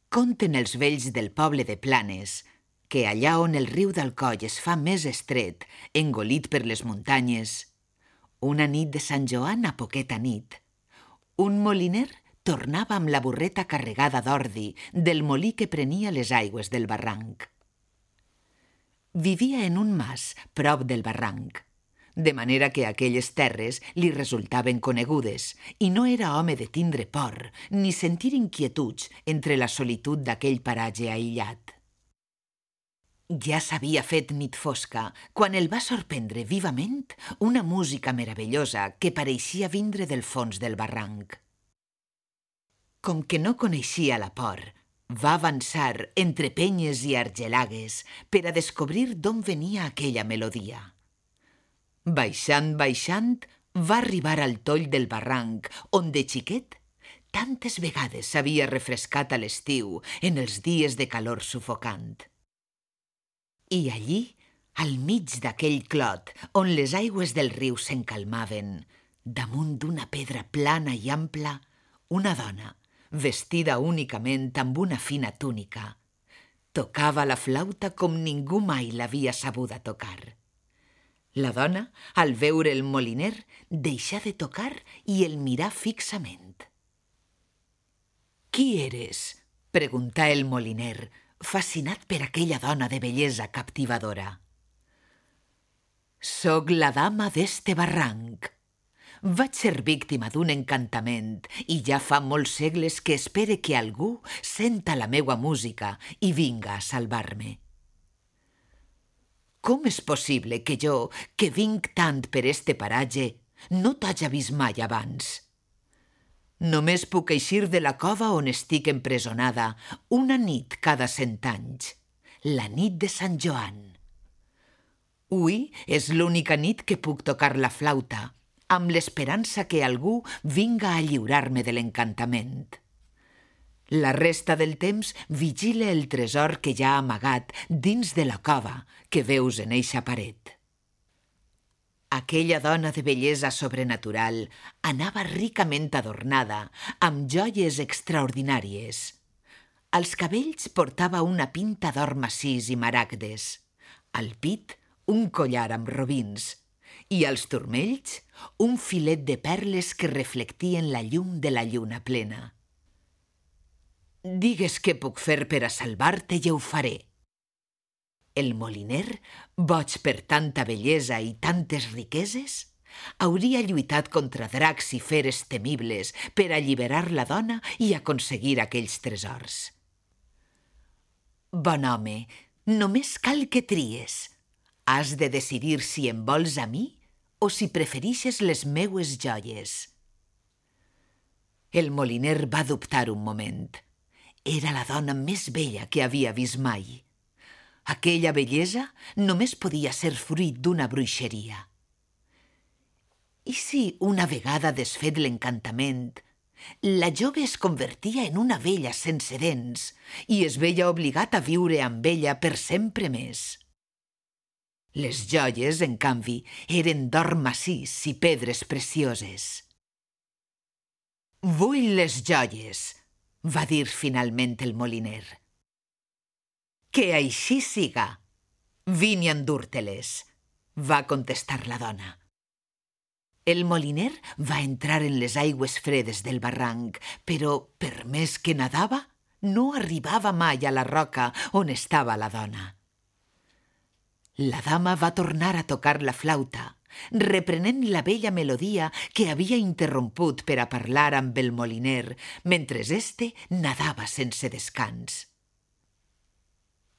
Conten els vells del poble de Planes que allà on el riu d'Alcoi es fa més estret, engolit per les muntanyes, una nit de Sant Joan a poqueta nit, un moliner tornava amb la burreta carregada d'ordi del molí que prenia les aigües del barranc. Vivia en un mas prop del barranc, de manera que aquelles terres li resultaven conegudes i no era home de tindre por ni sentir inquietuds entre la solitud d'aquell paratge aïllat. Ja s'havia fet nit fosca quan el va sorprendre vivament una música meravellosa que pareixia vindre del fons del barranc. Com que no coneixia la por, va avançar entre penyes i argelagues per a descobrir d'on venia aquella melodia. Baixant, baixant, va arribar al toll del barranc, on de xiquet tantes vegades s'havia refrescat a l'estiu en els dies de calor sufocant. I allí, al mig d'aquell clot, on les aigües del riu s'encalmaven, damunt d'una pedra plana i ampla, una dona, vestida únicament amb una fina túnica, tocava la flauta com ningú mai l'havia sabuda tocar. La dona, al veure el moliner, deixà de tocar i el mirà fixament. «Qui eres?», preguntà el moliner, fascinat per aquella dona de bellesa captivadora. «Soc la dama d'este barranc. Vaig ser víctima d'un encantament i ja fa molts segles que espere que algú senta la meua música i vinga a salvar-me. Com és possible que jo, que vinc tant per este paratge, no t'haja vist mai abans? Només puc eixir de la cova on estic empresonada una nit cada 100 anys, la nit de Sant Joan. Ui és l'única nit que puc tocar la flauta, amb l'esperança que algú vinga a lliurar-me de l'encantament. La resta del temps vigile el tresor que hi ha amagat dins de la cova que veus en eixa paret». Aquella dona de bellesa sobrenatural anava ricament adornada, amb joies extraordinàries. Als cabells portava una pinta d'or massís i maragdes, al pit un collar amb robins i als turmells un filet de perles que reflectien la llum de la lluna plena. «Digues què puc fer per a salvar-te i ho faré». El moliner, boig per tanta bellesa i tantes riqueses, hauria lluitat contra dracs i feres temibles per alliberar la dona i aconseguir aquells tresors. «Bon home, només cal que tries. Has de decidir si em vols a mi o si preferixes les meues joies». El moliner va dubtar un moment. Era la dona més bella que havia vist mai. Aquella bellesa només podia ser fruit d'una bruixeria. I si, una vegada desfet l'encantament, la jove es convertia en una vella sense dents i es veia obligat a viure amb ella per sempre més? Les joies, en canvi, eren d'or massís i pedres precioses. «Vull les joies», va dir finalment el moliner. «Que així siga. Vine a endur-te-les», va contestar la dona. El moliner va entrar en les aigües fredes del barranc, però, per més que nadava, no arribava mai a la roca on estava la dona. La dama va tornar a tocar la flauta, reprenent la bella melodia que havia interromput per a parlar amb el moliner mentre este nadava sense descans.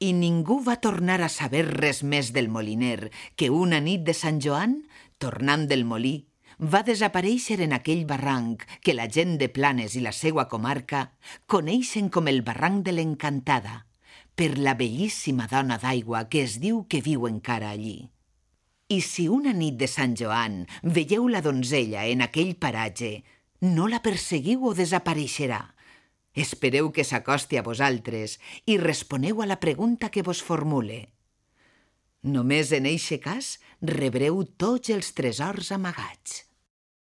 I ningú va tornar a saber res més del moliner que una nit de Sant Joan, tornant del molí, va desaparèixer en aquell barranc que la gent de Planes i la seua comarca coneixen com el barranc de l'Encantada, per la bellíssima dona d'aigua que es diu que viu encara allí. I si una nit de Sant Joan veieu la donzella en aquell paratge, no la perseguiu o desapareixerà. Espereu que s'acosti a vosaltres i responeu a la pregunta que vos formule. Només en eixe cas rebreu tots els tresors amagats.